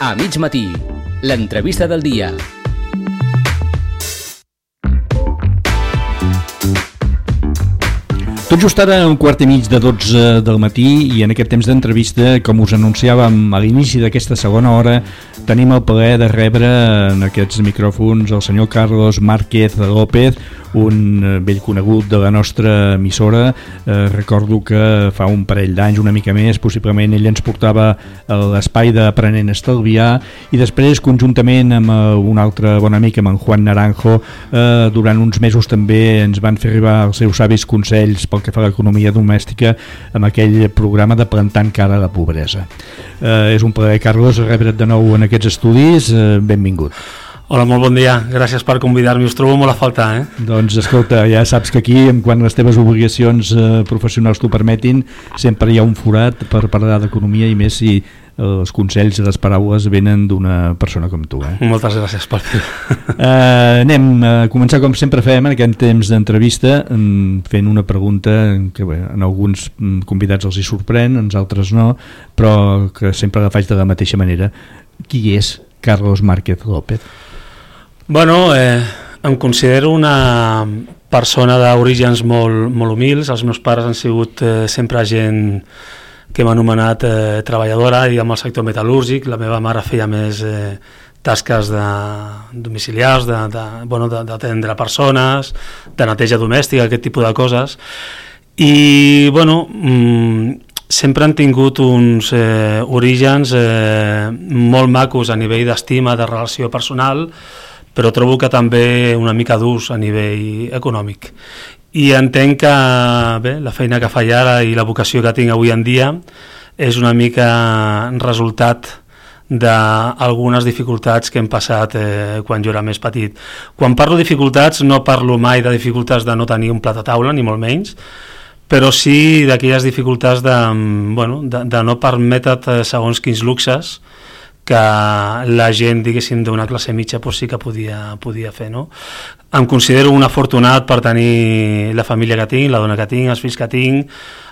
A mig matí, l'entrevista del dia. Tot just ara, 11:15 del matí, i en aquest temps d'entrevista, com us anunciàvem a l'inici d'aquesta segona hora, tenim el plaer de rebre en aquests micròfons el senyor Carlos Márquez López, un vell conegut de la nostra emissora. Recordo que fa un parell d'anys, una mica més, possiblement ell ens portava a l'espai d'Aprenent a Estalviar, i després, conjuntament amb un altre bon amic, amb en Juan Naranjo, durant uns mesos també ens van fer arribar els seus savis consells pel que fa a l'economia domèstica amb aquell programa de Plantant cara a la pobresa. És un plaer, Carlos, rebre't de nou en aquests estudis. Benvingut. Hola, molt bon dia. Gràcies per convidar-me. Us trobo molt a faltar, Doncs escolta, ja saps que aquí, quan les teves obligacions professionals t'ho permetin, sempre hi ha un forat per parlar d'economia, i més si els consells i les paraules venen d'una persona com tu. Moltes gràcies per fer. Anem a començar com sempre fem en aquest temps d'entrevista, fent una pregunta que en alguns convidats els hi sorprèn, en altres no, però que sempre la faig de la mateixa manera. Qui és Carlos Márquez López? Bueno, em considero una persona d'orígens molt humils. Els meus pares han sigut sempre gent que m'ha anomenat treballadora, i amb el sector metal·lúrgic. La meva mare feia més tasques domiciliars, d'atendre persones, de neteja domèstica, aquest tipus de coses. I, bueno, sempre han tingut uns orígens molt macos a nivell d'estima, de relació personal, però trobo que també una mica durs a nivell econòmic. I entenc que la feina que faig ara i la vocació que tinc avui en dia és una mica resultat d'algunes dificultats que hem passat quan jo era més petit. Quan parlo de dificultats, no parlo mai de dificultats de no tenir un plat a taula, ni molt menys, però sí d'aquelles dificultats de no permetre't segons quins luxes que la gent, diguéssim, d'una classe mitja sí que podia fer, no? Em considero un afortunat per tenir la família que tinc, la dona que tinc, els fills que tinc,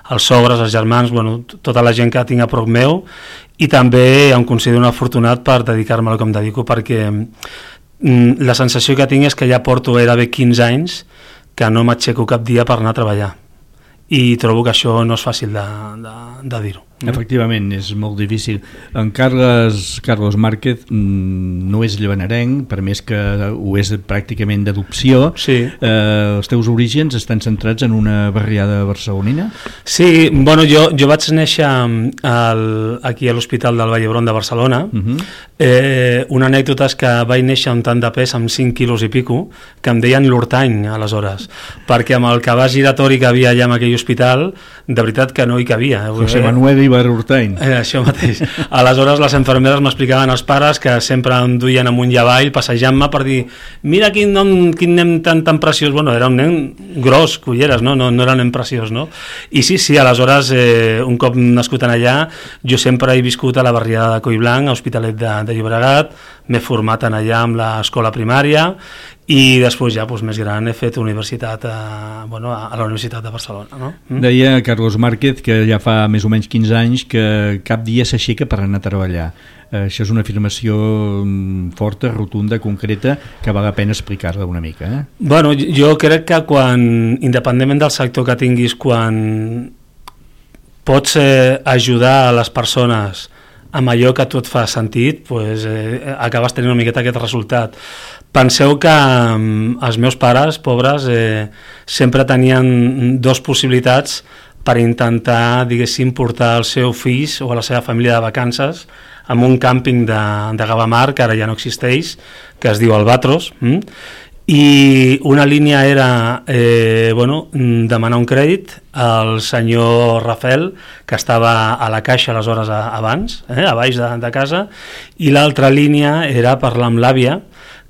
els sogres, els germans, tota la gent que tinc a prop meu, i també em considero un afortunat per dedicar-me al que em dedico, perquè la sensació que tinc és que ja porto gairebé 15 anys que no m'aixeco cap dia per anar a treballar, i trobo que això no és fàcil de dir-ho. Efectivament, és molt difícil. En Carlos Márquez no és llevanarenc, per més que ho és pràcticament d'adopció. Sí. Els teus orígens estan centrats en una barriada barcelonina? Sí, jo vaig néixer aquí a l'Hospital del Vall d'Hebron de Barcelona. Una anècdota és que vaig néixer un tant de pes, amb 5 quilos i pico, que em deien l'Hortany aleshores, perquè amb el cabàs giratori que havia allà en aquell hospital, de veritat que no hi cabia. José Manuel Ibarhurtany. Això mateix. Aleshores les infermeres m'explicaven als pares que sempre em duien amunt i avall passejant-me per dir, mira quin nen tan preciós. Era un nen gros, culleres, no era un nen preciós, no? I sí, aleshores un cop nascut en allà, jo sempre he viscut a la barriada de Collblanc, a Hospitalet de Llobregat, m'he format en allà amb l'escola primària, i després ja més gran he fet universitat a la Universitat de Barcelona, no? Deia Carlos Márquez que ja fa més o menys 15 anys que cap dia s'aixeca per anar a treballar. Això és una afirmació forta, rotunda, concreta, que val la pena explicar-la una mica. Jo crec que independentment del sector que tinguis, quan pots ajudar a les persones amb allò que a tu et fa sentit, acabes tenint una miqueta aquest resultat. Penseu que els meus pares, pobres, sempre tenien dues possibilitats per intentar, diguéssim, portar els seus fills o a la seva família de vacances en un càmping de Gavamar, que ara ja no existeix, que es diu Albatros, i una línia era demanar un crèdit al senyor Rafael, que estava a la caixa aleshores abans, a baix de casa, i l'altra línia era parlar amb l'àvia,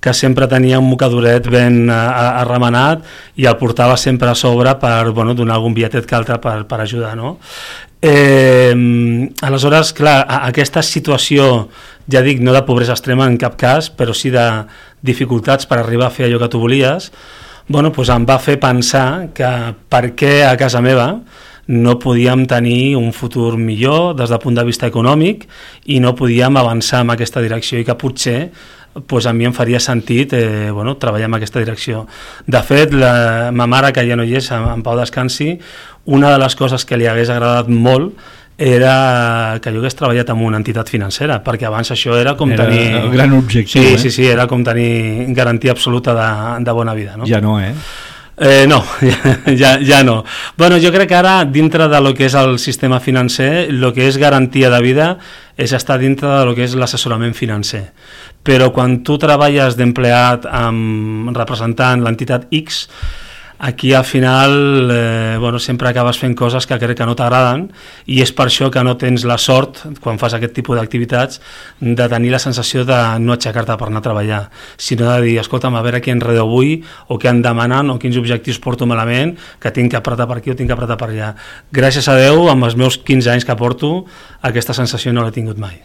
que sempre tenia un mocadoret ben arremenat i el portava sempre a sobre per donar algun bitlletet que altre per ajudar, no? Aleshores, clar, aquesta situació, ja dic, no de pobresa extrema en cap cas, però sí de dificultats per arribar a fer allò que tu volies, em va fer pensar que per què a casa meva no podíem tenir un futur millor des del punt de vista econòmic i no podíem avançar en aquesta direcció i que potser pues a mi em faria sentit treballar en aquesta direcció. De fet, ma mare, que ja no hi és, en pau descansi, una de les coses que li hagués agradat molt era que jo hagués treballat en una entitat financera, perquè abans això era com tenir... el gran objectiu, Sí, era com tenir garantia absoluta de bona vida. No? Ja no, No, ja no. Bueno, jo crec que ara, dintre de lo que és el sistema financer, el que és garantia de vida és estar dintre de lo que és l'assessorament financer. Però quan tu treballes d'empleat representant l'entitat X, aquí al final sempre acabes fent coses que crec que no t'agraden i és per això que no tens la sort, quan fas aquest tipus d'activitats, de tenir la sensació de no aixecar-te per anar a treballar, sinó de dir, escolta'm, a veure què enredo avui o què em demanen o quins objectius porto malament, que tinc que apretar per aquí o tinc que apretar per allà. Gràcies a Déu, amb els meus 15 anys que porto, aquesta sensació no l'he tingut mai.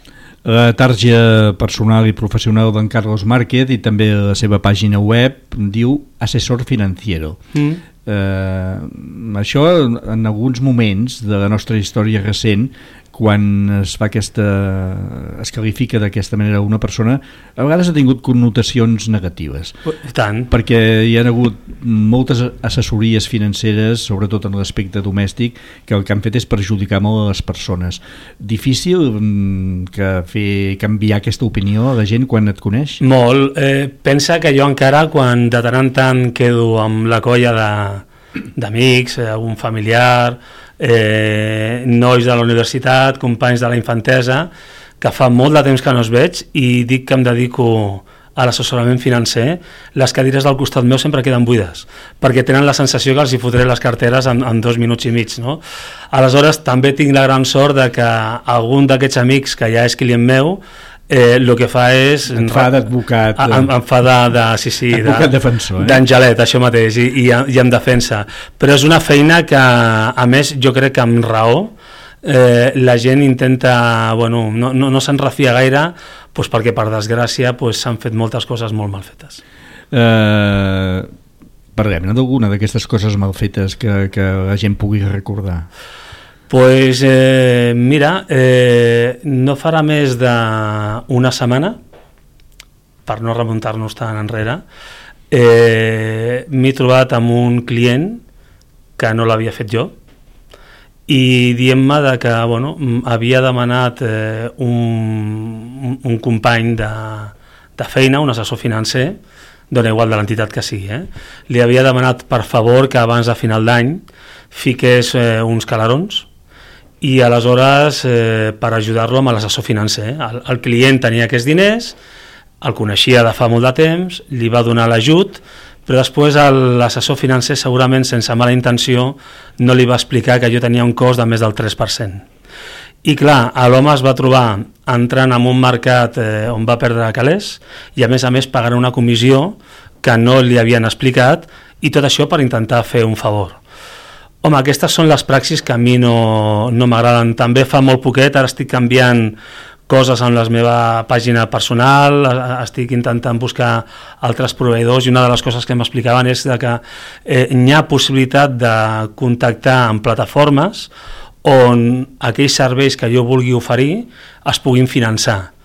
La tarja personal i professional d'en Carlos Márquez i també la seva pàgina web diu Assessor Financiero. Això en alguns moments de la nostra història recent, quan es qualifica d'aquesta manera una persona, a vegades ha tingut connotacions negatives. Tant. Perquè hi ha hagut moltes assessories financeres, sobretot en l'aspecte domèstic, que el que han fet és perjudicar molt a les persones. Difícil fer canviar aquesta opinió a la gent quan et coneix? Molt. Pensa que jo encara, quan de tant en tant quedo amb la colla d'amics, algun familiar, nois de la universitat, companys de la infantesa, que fa molt de temps que no els veig i dic que em dedico a l'assessorament financer, les cadires del costat meu sempre queden buides, perquè tenen la sensació que els hi fotré les carteres en 2 minuts i mig. No? Aleshores, també tinc la gran sort de que algun d'aquests amics que ja és client meu el que fa és... Et fa d'advocat. Em fa advocat defensor. D'angelet, això mateix, i em defensa. Però és una feina que, a més, jo crec que amb raó, la gent intenta... no se'n refia gaire, perquè per desgràcia s'han fet moltes coses molt mal fetes. Parlem d'alguna d'aquestes coses mal fetes que la gent pugui recordar. Pues mira, no farà més d'una setmana, per no remuntar-nos tan enrere, m'he trobat amb un client que no l'havia fet jo i dient-me que havia demanat un company de feina, un assessor financer, dona igual de l'entitat que sigui, li havia demanat per favor que abans de final d'any fiqués uns calarons i aleshores per ajudar-lo amb l'assessor financer. El client tenia aquests diners, el coneixia de fa molt de temps, li va donar l'ajut, però després l'assessor financer segurament sense mala intenció no li va explicar que jo tenia un cost de més del 3%. I clar, l'home es va trobar entrant en un mercat on va perdre calés i a més pagant una comissió que no li havien explicat i tot això per intentar fer un favor. Home, aquestes són les praxis que a mi no m'agraden. També fa molt poquet, ara estic canviant coses en la meva pàgina personal, estic intentant buscar altres proveïdors i una de les coses que m'explicaven és que hi ha possibilitat de contactar amb plataformes on aquells serveis que jo vulgui oferir es puguin finançar.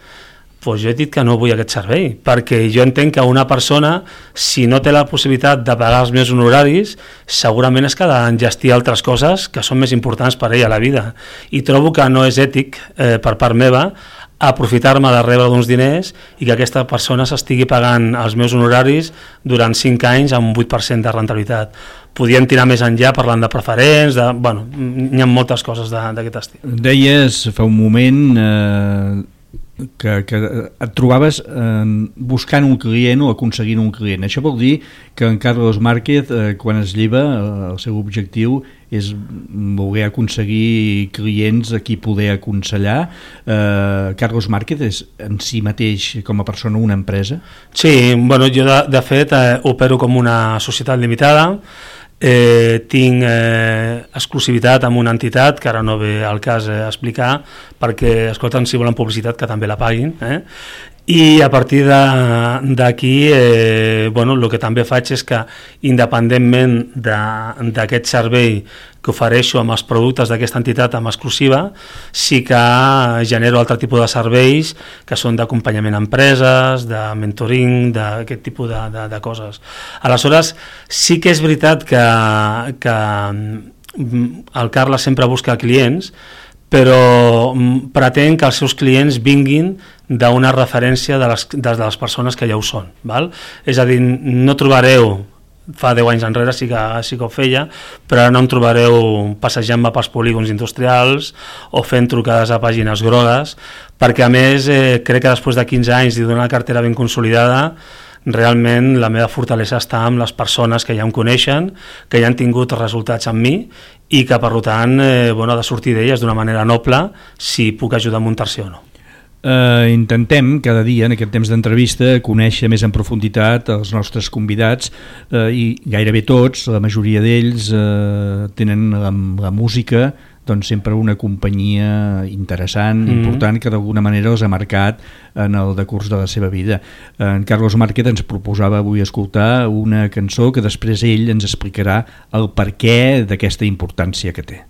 Doncs jo he dit que no vull aquest servei, perquè jo entenc que una persona, si no té la possibilitat de pagar els meus honoraris, segurament és que ha d'enllestir altres coses que són més importants per ella a la vida. I trobo que no és ètic per part meva aprofitar-me de rebre uns diners i que aquesta persona s'estigui pagant els meus honoraris durant 5 anys amb un 8% de rentabilitat. Podíem tirar més enllà parlant de preferents, hi ha moltes coses d'aquest estil. Deies fa un moment que et trobaves buscant un client o aconseguint un client. Això vol dir que en Carlos Márquez, quan es lleva, el seu objectiu és voler aconseguir clients a qui poder aconsellar. Carlos Márquez és en si mateix, com a persona, una empresa? Sí, jo de fet opero com una societat limitada, tinc exclusivitat amb una entitat que ara no ve al cas explicar perquè, escolta'm, si volen publicitat que també la paguin, I a partir d'aquí el que també faig és que independentment d'aquest servei que ofereixo amb els productes d'aquesta entitat amb exclusiva, sí que genero altre tipus de serveis que són d'acompanyament a empreses, de mentoring, d'aquest tipus de coses. Aleshores, sí que és veritat que el Carles sempre busca clients, però pretén que els seus clients vinguin d'una referència de les persones que ja ho són. Val? És a dir, no trobareu, fa 10 anys enrere sí que ho feia, però ara no em trobareu passejant-me pels polígons industrials o fent trucades a pàgines grogues, perquè a més crec que després de 15 anys i d'una cartera ben consolidada, realment la meva fortalesa està amb les persones que ja em coneixen, que ja han tingut resultats amb mi i que per tant ha de sortir d'elles d'una manera noble si puc ajudar a muntar-se o no. Intentem cada dia en aquest temps d'entrevista conèixer més en profunditat els nostres convidats i gairebé tots, la majoria d'ells tenen la música doncs sempre una companyia interessant, important, que d'alguna manera els ha marcat en el decurs de la seva vida. En Carlos Márquez ens proposava avui escoltar una cançó que després ell ens explicarà el perquè d'aquesta importància que té.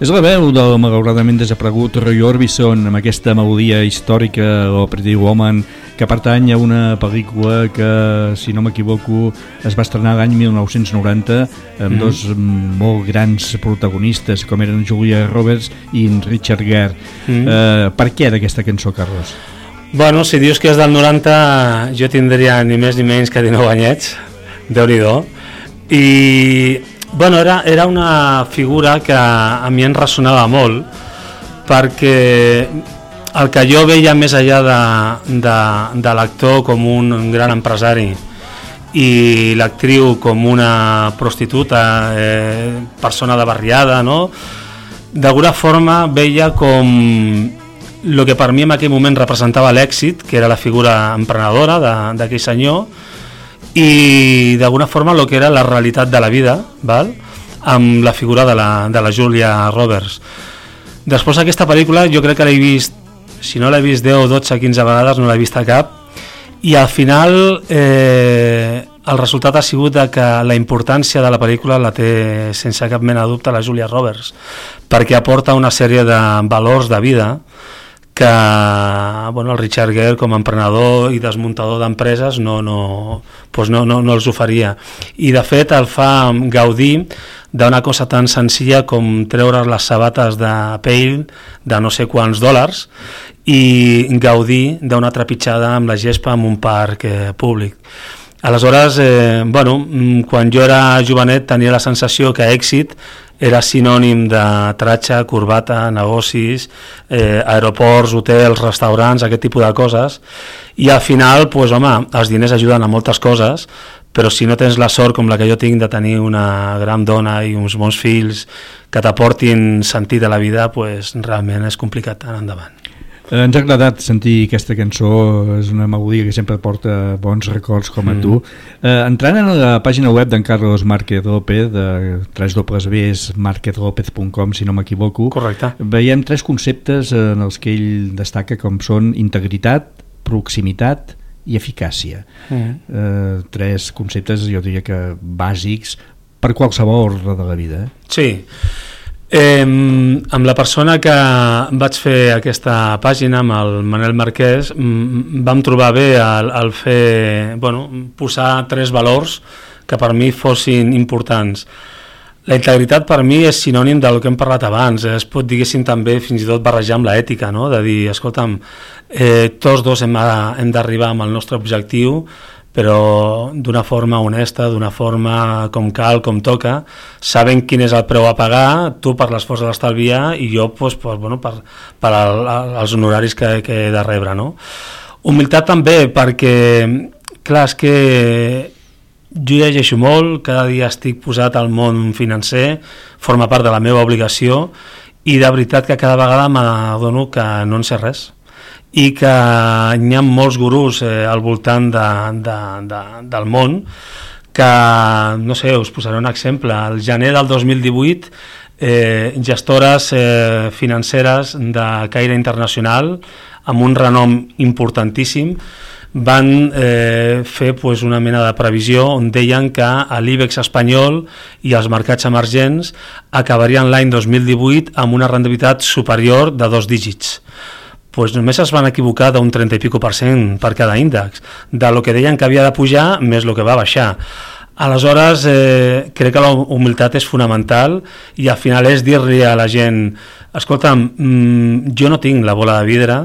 És la veu del malauradament desaparegut Roy Orbison amb aquesta melodia històrica, o Pretty Woman, que pertany a una pel·lícula que, si no m'equivoco, es va estrenar l'any 1990 amb dos molt grans protagonistes, com eren Julia Roberts i Richard Gere. Per què d'aquesta cançó, Carlos? Bueno, si dius que és del 90, jo tindria ni més ni menys que 19 anyets, Déu-n'hi-do. I bueno, era una figura que a mi em ressonava molt, perquè el que jo veia més enllà de l'actor com un gran empresari i l'actriu com una prostituta, persona de barriada, no? D'alguna forma veia com el que per mi en aquell moment representava l'èxit, que era la figura emprenedora d'aquell senyor, i d'alguna forma el que era la realitat de la vida, val? Amb la figura de la Julia Roberts. Després aquesta pel·lícula jo crec que l'he vist, si no l'he vist 10, 12, 15 vegades, no l'he vist a cap, i al final el resultat ha sigut que la importància de la pel·lícula la té sense cap mena de dubte la Julia Roberts, perquè aporta una sèrie de valors de vida que el Richard Gere com a emprenedor i desmuntador d'empreses no els oferia, i de fet el fa gaudir d'una cosa tan senzilla com treure les sabates de pell de no sé quants dòlars i gaudir d'una trepitjada amb la gespa en un parc públic. Aleshores, quan jo era jovenet tenia la sensació que èxit era sinònim de tratxa, corbata, negocis, aeroports, hotels, restaurants, aquest tipus de coses, i al final, els diners ajuden a moltes coses, però si no tens la sort com la que jo tinc de tenir una gran dona i uns bons fills que t'aportin sentit a la vida, realment és complicat anar endavant. Ens ha agradat sentir aquesta cançó, és una melodia que sempre porta bons records com a tu. Entrant en la pàgina web d'en Carlos Márquez López, de www.marquezlopez.com, si no m'equivoco. Correcte. Veiem 3 conceptes en els que ell destaca, com són integritat, proximitat i eficàcia. 3 conceptes, jo diria que bàsics per qualsevol ordre de la vida. Sí. Amb la persona que vaig fer aquesta pàgina, amb el Manel Marquès, vam trobar bé el fer, posar 3 valors que per mi fossin importants. La integritat per mi és sinònim del que hem parlat abans, es pot, diguéssim, també fins i tot barrejar amb l'ètica, no? De dir, escolta'm, tots dos hem d'arribar amb el nostre objectiu, però d'una forma honesta, d'una forma com cal, com toca, sabent quin és el preu a pagar, tu per l'esforç de l'estalviar i jo per els honoraris que he de rebre, no? Humilitat també, perquè clar, és que jo llegeixo molt, cada dia estic posat al món financer, forma part de la meva obligació, i de veritat que cada vegada m'adono que no en sé res, i que hi ha molts gurús al voltant del món que, no sé, us posaré un exemple. Al gener del 2018, gestores financeres de caire internacional amb un renom importantíssim van fer una mena de previsió on deien que l'IBEX espanyol i els mercats emergents acabarien l'any 2018 amb una rendibilitat superior de 2 dígits. Només es van equivocar d'un 30 i pico % per cada índex, de lo que deien que havia de pujar més el que va baixar. Aleshores, crec que la humilitat és fonamental i al final és dir-li a la gent, escolta'm, jo no tinc la bola de vidre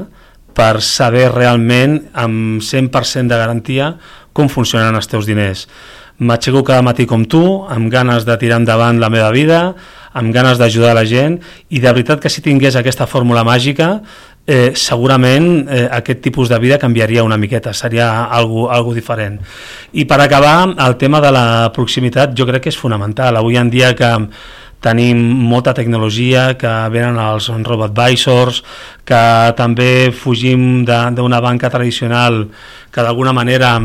per saber realment amb 100% de garantia com funcionen els teus diners. M'aixeco cada matí com tu, amb ganes de tirar endavant la meva vida, amb ganes d'ajudar la gent, i de veritat que si tingués aquesta fórmula màgica, segurament aquest tipus de vida canviaria una miqueta, seria algo diferent. I per acabar, el tema de la proximitat jo crec que és fonamental. Avui en dia que tenim molta tecnologia, que venen els robo-advisors, que també fugim d'una banca tradicional que d'alguna manera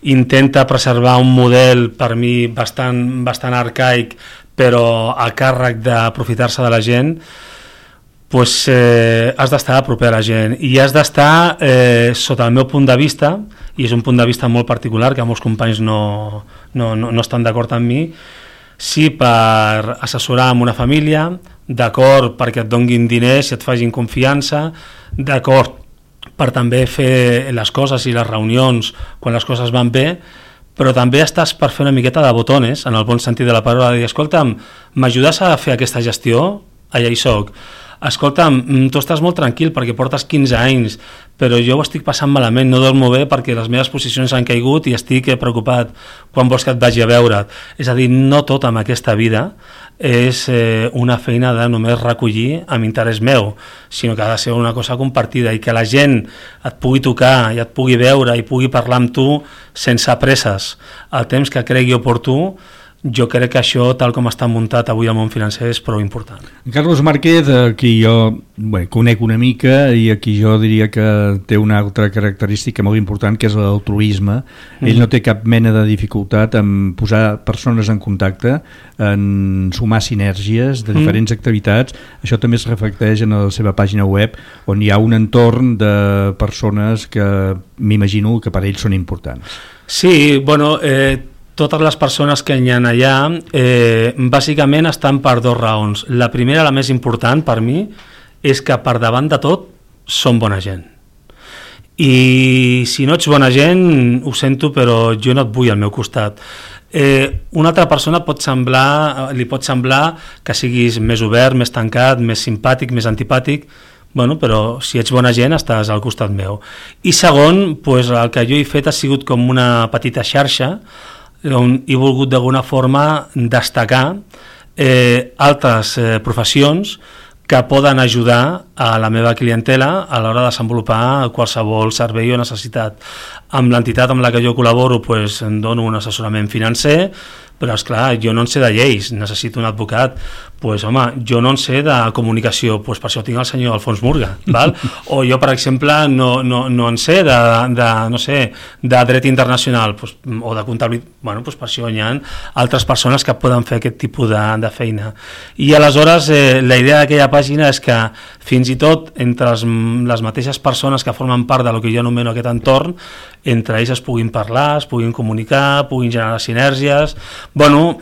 intenta preservar un model per mi bastant arcaic, però a càrrec d'aprofitar-se de la gent, has d'estar a proper a la gent i has d'estar, sota el meu punt de vista, i és un punt de vista molt particular que molts companys no estan d'acord amb mi, sí per assessorar amb una família, d'acord perquè et donguin diners i et facin confiança, d'acord per també fer les coses i les reunions quan les coses van bé, però també estàs per fer una miqueta de botones, en el bon sentit de la paraula, de dir, escolta'm, m'ajudes a fer aquesta gestió? Allà hi soc. Escolta'm, tu estàs molt tranquil perquè portes 15 anys, però jo ho estic passant malament, no dormo bé perquè les meves posicions han caigut i estic preocupat, quan vols que et vagi a veure't? És a dir, no tot amb aquesta vida és una feina de només recollir amb interès meu, sinó que ha de ser una cosa compartida i que la gent et pugui tocar i et pugui veure i pugui parlar amb tu sense presses, el temps que cregui oportú. Jo crec que això, tal com està muntat avui al món financer, és prou important. Carlos Márquez, qui jo conec una mica i aquí jo diria que té una altra característica molt important, que és l'altruisme. Ell no té cap mena de dificultat en posar persones en contacte, en sumar sinergies de diferents activitats. Això també es reflecteix en la seva pàgina web, on hi ha un entorn de persones que m'imagino que per ells són importants. Sí, totes les persones que hi ha allà bàsicament estan per 2 raons. La primera, la més important per mi, és que per davant de tot són bona gent. I si no ets bona gent, ho sento, però jo no et vull al meu costat. Una altra persona li pot semblar que siguis més obert, més tancat, més simpàtic, més antipàtic, però si ets bona gent estàs al costat meu. I segon, el que jo he fet ha sigut com una petita xarxa on he volgut d'alguna forma destacar altres professions que poden ajudar a la meva clientela a l'hora de desenvolupar qualsevol servei o necessitat. Amb l'entitat amb la que jo col·laboro em dono un assessorament financer, però esclar, jo no en sé de lleis, necessito un advocat, pues, home, jo no en sé de comunicació, pues, per això tinc el senyor Alfons Murga, val? O jo, per exemple, no en sé no sé, de dret internacional, pues, o de comptabilitat, bueno, pues per això hi ha altres persones que poden fer aquest tipus de feina. I aleshores la idea d'aquella pàgina és que fins i tot entre les mateixes persones que formen part del que jo anomeno aquest entorn, entre ells es puguin parlar, es puguin comunicar, puguin generar sinergies, bueno,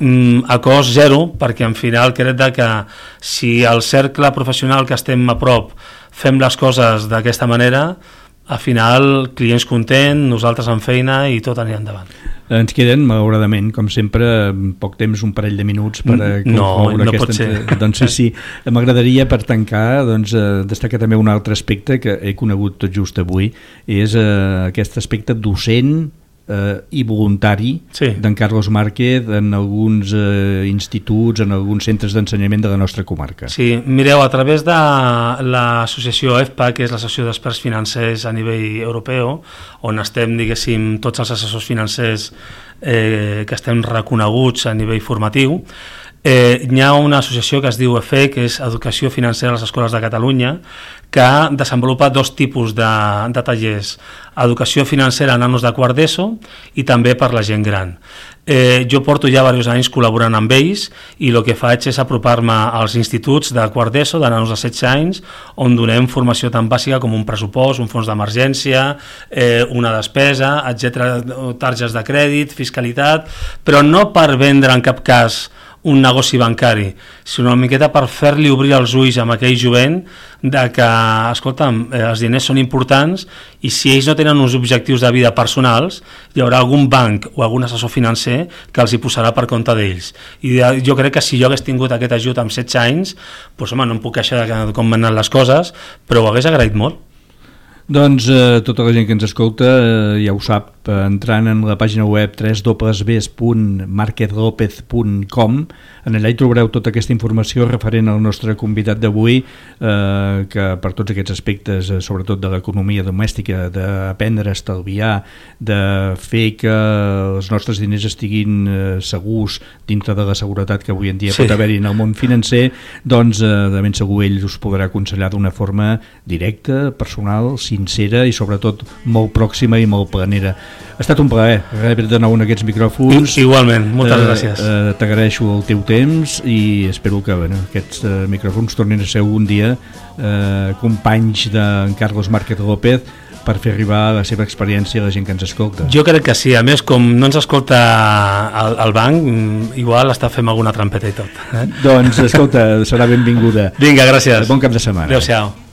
a cost zero, perquè en final crec que si el cercle professional que estem a prop fem les coses d'aquesta manera, al final clients contents, nosaltres amb feina i tot anirà endavant. Ens queden, malauradament, com sempre, poc temps, un parell de minuts per concloure no aquesta... pot ser. Doncs sí, m'agradaria, per tancar, destacar també un altre aspecte que he conegut tot just avui, és aquest aspecte docent i voluntari d'en Carlos Márquez en alguns instituts, en alguns centres d'ensenyament de la nostra comarca. Sí, mireu, a través de l'associació EFPA, que és l'Associació d'Experts Financers a nivell europeu, on estem, diguéssim, tots els assessors financers que estem reconeguts a nivell formatiu, hi ha una associació que es diu EFE, que és Educació Financera a les Escoles de Catalunya, que desenvolupa dos tipus de tallers: educació financera a nanos de quart d'ESO i també per la gent gran. Jo porto ja diversos anys col·laborant amb ells i el que faig és apropar-me als instituts de quart d'ESO, de nanos de 16 anys, on donem formació tan bàsica com un pressupost, un fons d'emergència, una despesa, etc., targes de crèdit, fiscalitat, però no per vendre en cap cas un negoci bancari, sinó una miqueta per fer-li obrir els ulls amb aquell jovent de que, escolta'm, els diners són importants i si ells no tenen uns objectius de vida personals, hi haurà algun banc o algun assessor financer que els hi posarà per compte d'ells. I jo crec que si jo hagués tingut aquest ajut amb 16 anys, doncs, home, no em puc queixar de com han anat les coses, però ho hagués agraït molt. Doncs tota la gent que ens escolta ja ho sap, entrant en la pàgina web www.marquezlopez.com, en allà hi trobareu tota aquesta informació referent al nostre convidat d'avui, que per tots aquests aspectes, sobretot de l'economia domèstica, d'aprendre a estalviar, de fer que els nostres diners estiguin segurs dintre de la seguretat que avui en dia pot haver-hi en el món financer, doncs de ben segur ell us podrà aconsellar d'una forma directa, personal, sincera i sobretot molt pròxima i molt planera. Ha estat un plaer rebre de nou en aquests micròfons. Igualment, moltes gràcies. T'agraeixo el teu temps i espero que aquests micròfons tornin a ser algun dia companys d'en Carlos Márquez López per fer arribar la seva experiència a la gent que ens escolta. Jo crec que sí, a més com no ens escolta el banc, igual està fent alguna trampeta i tot. Doncs escolta, serà benvinguda. Vinga, gràcies. Bon cap de setmana. Adéu-siau.